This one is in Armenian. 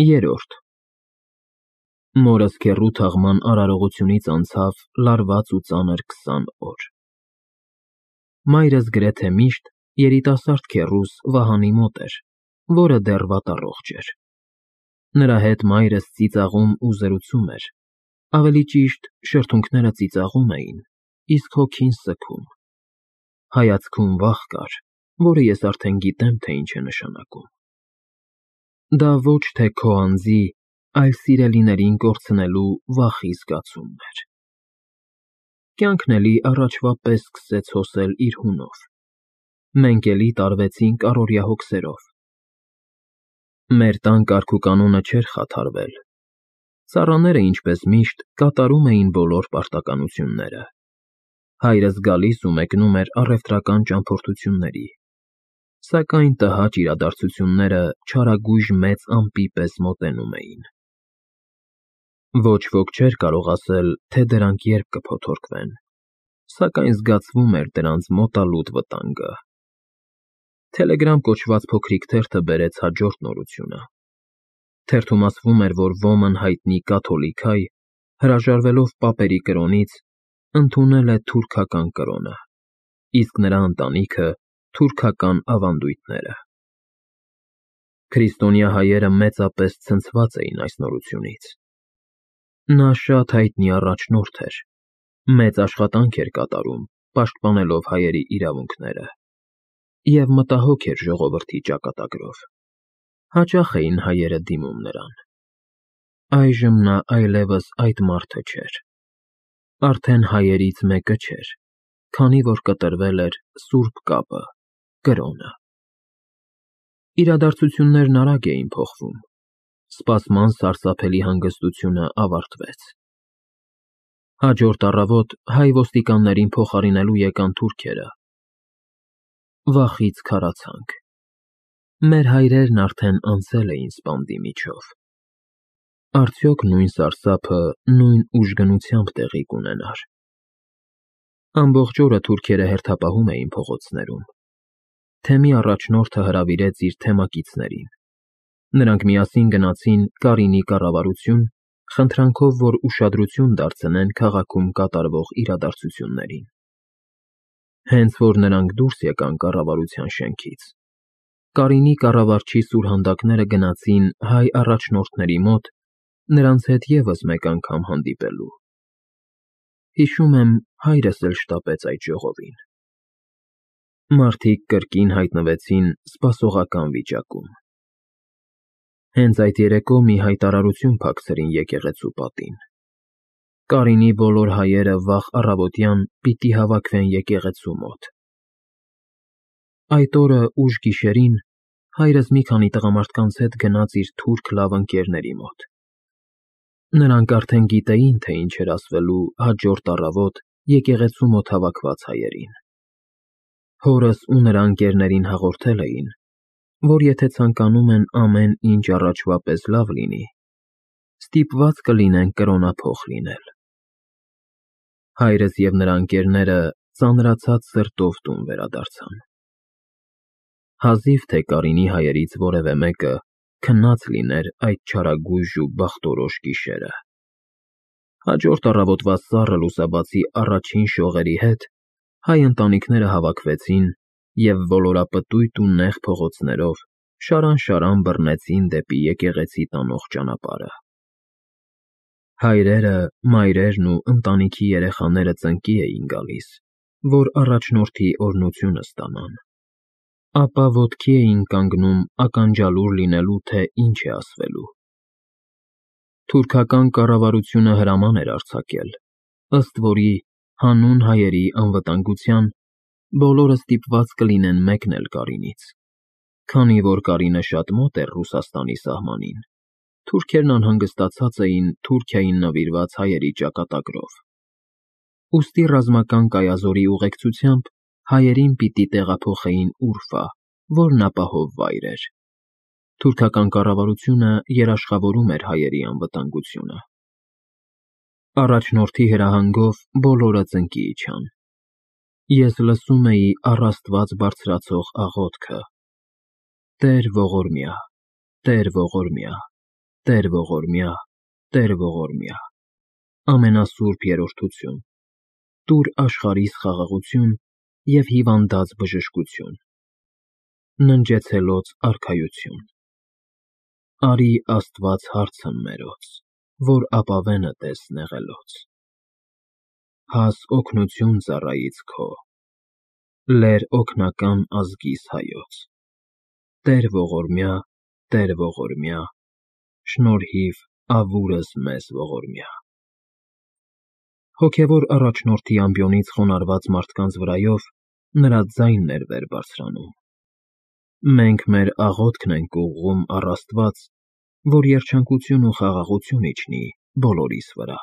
Երրորդ Մորս քեռու թաղման արարողությունից անցավ լարված ու ծանր 20 օր։ Մայրս գրեթե միշտ երիտասարդ քեռուս Վահանի մոտ էր, որը դեռ վատառողջ էր։ Նրա հետ մայրս ծիծաղում ու զրուցում էր, ավելի ճիշտ շրթունքները ծիծաղում էին, իսկ հոգին սգում։ Հայացքում վախ կար, որը ես արդեն գիտեմ, թե ինչ է նշանակում։ Դա ոչ թե քո անձի, այլ սիրելիներին կորցնելու վախի զգացումն էր։ Կյանքն էլի առաջվա պես սկսեց հոսել իր հունով։ Մենք էլի տարվեցինք առօրյա հոգսերով։ Մեր տան կարգուկանոնը չէր խաթարվել։ Ծառաները, ինչպես միշտ, կատարում էին բոլոր պարտականությունները։ Հայրս գալիս ու մեկնում էր առևտրական ճամփորդությունների, սակայն տհաճ իրադարձությունները չարագույժ մեծ ամպի պես մոտենում էին։ Ոչ ոք չէր կարող ասել, թե դրանք երբ կփոթորկվեն, սակայն զգացվում էր դրանց մոտալուտ վտանգը։ Թելեգրամ կոչված փոքրիկ թերթը բերեց հաջորդ նորությունը։ Թերթում ասվում էր, որ ոմն հայտնի կաթոլիկ հայ, հրաժարվելով պապերի կրոնից, ընդունել է թուրքական կրոնը, իսկ նրա ընտանիքը թուրքական ավանդույթները։ Քրիստոնյա հայերը մեծապես ցնցված էին այս նորությունից։ Նա շատ հայտնի առաջնորդ էր, մեծ աշխատանք էր կատարում, պաշտպանելով հայերի իրավունքները, և մտահոգ էր ժողովրդի ճակատագրով։ Հաճախ էին հայերը դիմում նրան։ Այժմ նա այլևս այդ մարդը չէր։ Արդեն հայերից մեկը չէր, քանի որ կտրվել էր սուրբ կապը, կրոնը։ Իրադարձություններն արագ էին փոխվում։ Սպասման սարսափելի հանգստությունը ավարտվեց։ Հաջորդ առավոտ հայ ոստիկաններին փոխարինելու եկան թուրքերը։ Վախից քարացանք։ Մեր հայրերն արդեն անցել էին սպանդի միջով։ Արդյոք նույն սարսափը նույն ուժգնությամբ տեղի կունենար։ Ամբողջ օրը թուրքերը հերթապահում էին փողոցներում։ Թեմի առաջնորդը հրավիրեց իր թեմակիցներին։ Նրանք միասին գնացին Կարինի կառավարություն, խնդրանքով, որ ուշադրություն դարձնեն քաղաքում կատարվող իրադարձություններին։ Հենց որ նրանք դուրս եկան կառավարության շենքից, Կարինի կառավարչի սուրհանդակները գնացին հայ առաջնորդների մոտ նրանց հետ ևս մեկ անգամ հանդիպելու։ Հիշում եմ, հայրս էլ շտապեց այդ ժողովին։ Մարդիկ կրկին հայտնվեցին սպասողական վիճակում։ Հենց այդ երեկո մի հայտարարություն փակցրին եկեղեցու պատին։ Կարինի բոլոր հայերը վաղ առավոտյան պիտի հավաքվեն եկեղեցու մոտ։ Այդ օրը ուշ գիշերին հայրս մի քանի տղամարդկանց հետ գնաց իր թուրք լավ ընկերների մոտ։ Նրանք արդեն գիտեին, թե ինչ էր ասվելու հաջորդ առավոտ եկեղեցու մոտ հավաքված հայերին։ Հորս ու նրա ընկերներին հաղորդել էին, որ եթե ցանկանում են ամեն ինչ առաջվա պես լավ լինի, ստիպված կլինեն կրոնափոխ լինել։ Հայրս և նրա ընկերները ծանրացած սրտով տուն վերադարձան։ Հազիվ թե Կարինի հայերից որևէ մեկը քնած լիներ այդ չարագույժ ու բախտորոշ գիշերը։ Հաջորդ առավոտվա սառը լուսաբացի առաջին շողերի հետ հայ ընտանիքները հավաքվեցին և ոլորապտույտ ու նեղ փողոցներով շարան-շարան բռնեցին դեպի եկեղեցի տանող ճանապարհը։ Հայրերը, մայրերն ու ընտանիքի երեխաները ծնկի էին գալիս, որ առաջնորդի օրհնությունը ստանան, ապա ոտքի էին կանգնում ականջալուր լինելու, թե ինչ է ասվելու։ Թուրքական կառավարությունը հրաման էր արձակել, ըստ որի հանուն հայերի անվտանգության բոլորը ստիպված կլինեն մեկնել Կարինից։ Քանի որ Կարինը շատ մոտ էր Ռուսաստանի սահմանին, թուրքերն անհանգստացած էին Թուրքիային նվիրված հայերի ճակատագրով։ Ուստի ռազմական կայազորի ուղեկցությամբ հայերին պիտի տեղափոխեին Ուրֆա, որն ապահով վայր էր։ Թուրքական կառավարությունը երաշխավորում էր հայերի անվտանգությունը։ Առաջնորդի հրահանգով բոլորը ծնկի իջան։ Ես լսում էի առ Աստված բարձրացող աղոթքը. Տեր ողորմյա, Տեր ողորմյա, Տեր ողորմյա, Տեր ողորմյա, ամենասուրբ երրորդություն, տուր աշխարհիս խաղաղություն և հիվանդած բժշկություն, ննջեցելոց արքայություն։ Արի Աստված հարցն մերոց, որ ապավենը տես նեղելոց։ Հաս օգնություն ծառայից քո, լեր օգնական ազգիս հայոց։ Տեր ողորմյա, շնորհիվ ավուրս մեզ ողորմյա։ Հոգևոր առաջնորդի ամբիոնից խոնարհված մարդկանց վրայով նրա ձայնն էր վեր բարձրանում։ Մենք մեր աղոթքն ենք ուղղում առ Աստված, որ երջանկություն ու խաղաղություն իջնի բոլորիս վրա։